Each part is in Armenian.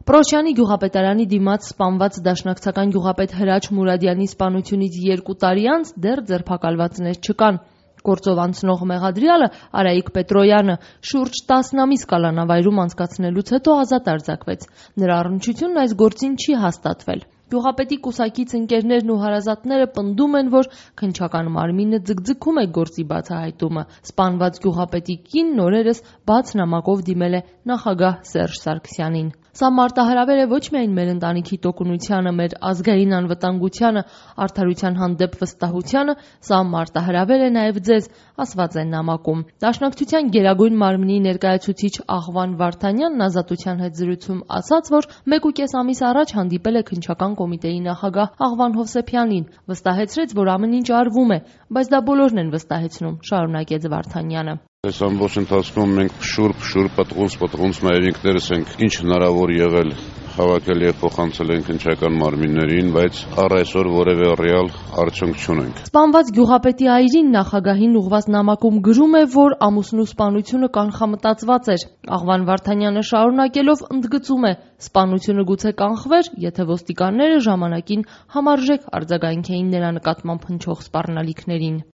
Պրոշյանի գյուղապետարանի դիմաց սպանված դաշնակցական գյուղապետ Հրաչ Մուրադյանի սպանությունից 2 տարի անց դեռ ձերբակալվածներ չկան։ Գործով անցնող մեղադրյալը Արայիկ Պետրոյանը շուրջ 10 ամիս կալանավայրում անցկացնելուց հետո ազատ արձակվեց։ Նրա առնչությունն այս գործին չի հաստատվել։ Գյուղապետի կուսակից ընկերներն ու հարազատները պնդում են, որ քննչական մարմինը ձգձգում է գործի բացահայտումը։ Սպանված գյուղապետի կինն օրերս բաց նամակով դիմել է նախագահ Սերժ Սարգսյանին։ Սա մարտահրավեր է ոչ միայն մեր ընտանիքի տոկունությանը, մեր ազգային անվտանգությանը, արդարության հանդեպ վստահությանը, սա մարտահրավեր է նաև ձեզ, ասված է նամակում։ Դաշնակցության Գերագույն մարմնի ներկայացուցիչ Աղվան Վարդանյանն Ազատության հետ զրույցում ասաց, որ 1.5 ամիս առաջ հանդիպել է քննչական կոմիտեի նախագահ Աղվան Հովսեփյանին, վստահեցրեց, որ ամեն ինչ արվում է, բայց դա բոլորն են վստահեցնում, շարունակեց Վարդանյանը։ Այս ամբողջ ընթացքում մենք փշուր պտղունց նաև ինքներս ենք ինչ հնարավոր եղել հավաքել եւ փոխանցել են քննչական մարմիններին, բայց առ այսօր որևէ ռեալ արդյունք չունենք։ Սպանված գյուղապետի այրին նախագահին ուղված նամակում գրում է, որ ամուսնու սպանությունը կանխամտածված էր։ Աղվան Վարդանյանը շարունակելով ընդգծում է, սպանությունը գուցե կանխվեր, եթե ոստիկանները ժամանակին համարժեք արձագանքեին նրա նկատմամբ հնչող սպառնալիքներին։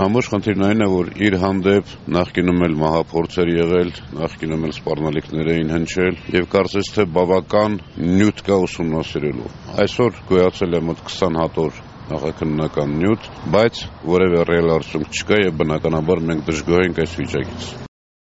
Ամբողջ խնդիրն այն է, որ իր հանդեպ նախկինում էլ մահափորձեր եղել, նախկինում էլ սպառնալիքներ էին հնչել եւ կարծես թե բավական նյութ կա ուսումնասիրելու։ Այսօր գոյացել է մոտ 20 հատոր նախաքննական նյութ, բայց որևէ ռեալ արդյունք չկա եւ բնականաբար մենք դժգոհ ենք այս վիճակից։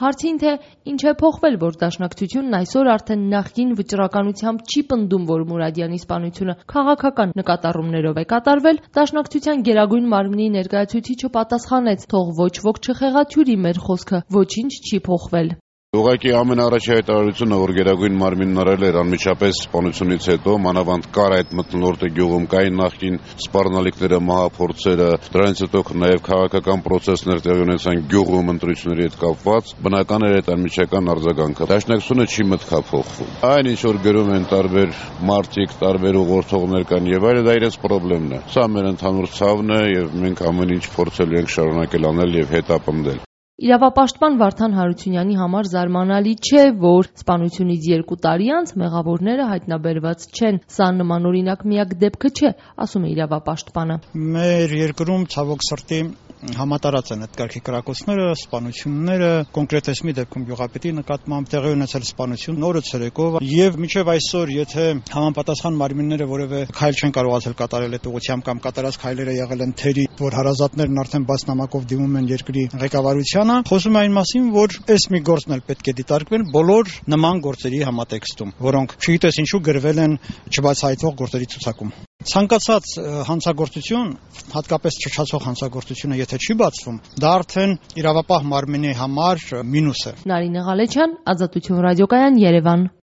Հարցին, թե ինչ է փոխվել, որ դաշնակցությունն այսօր արդեն նախկին վճռականությամբ չի պնդում, որ Մուրադյանի սպանությունը քաղաքական նկատառումներով է կատարվել, դաշնակցության Գերագույն մարմնի ներկայացուցիչը պատասխանեց, թող ոչ ոք չխեղաթյուրի մեր խոսքը, ոչինչ չի փոխվել։ Ուղղակի ամենաառաջի հայտարարությունը, որ Գերագույն մարմինն արել էր անմիջապես սպանությունից հետո, մանավանդ կար այդ մթնոլորտի գյուղում, կային նախկին սպառնալիքները, մահափորձերը, դրանից հետո նաև քաղաքական պրոցեսներ տեղի ունեցան գյուղում ընտրությունների հետ կապված, բնական էր այդ անմիջական արձագանքը։ Դաշնակցությունը չի մտքափոխվում։ Այն ինչ որ գրում են տարբեր մարդիկ, տարբեր ուղղորդողներ կան եւ այլն, դա իրենց խնդիրն է։ Սա մեր ընդհանուր ցավն է եւ մենք ամեն ինչ փորձելու ենք շարունակել անել եւ հետապնդել։ Իրավապաշտպան Վարդան Հարությունյանի համար զարմանալի չէ, որ սպանությունից 2 տարի անց մեղավորները հայտնաբերված չեն։ Սա նմանօրինակ միակ դեպքը չէ, ասում է իրավապաշտպանը։ Մեր երկրում ցավոք սրտի համատարած են այդ կարգի կրակոցները, սպանությունները, կոնկրետ մի դեպքում գյուղապետի նկատմամբ տեղի ունեցել սպանություն նորը ցերեկով եւ մինչեւ այսօր, եթե համապատասխան մարմինները որևէ քայլ չեն կարողացել կատարել այդ ուղղությամբ կամ կատարած քայլերը եղել են թերի, որ հարազատներն արդեն բաց նամակով դիմում են երկրի ղեկավարությանը, խոսում է այն մասին, որ այս մի գործն էլ պետք է դիտարկվեն բոլոր նման գործերի համատեքստում, որոնք չգիտես ինչու գրվել են չբացահայտվող գործերի ցուցակում։ Ցանկացած հանցագործություն, հատկապես չչացող հանցագործությունը, եթե չի բացվում, դա արդեն իրավապահ մարմինի համար մինուս է։ Նարինե Ղալեչյան, Ազատություն ռադիոկայան, Երևան։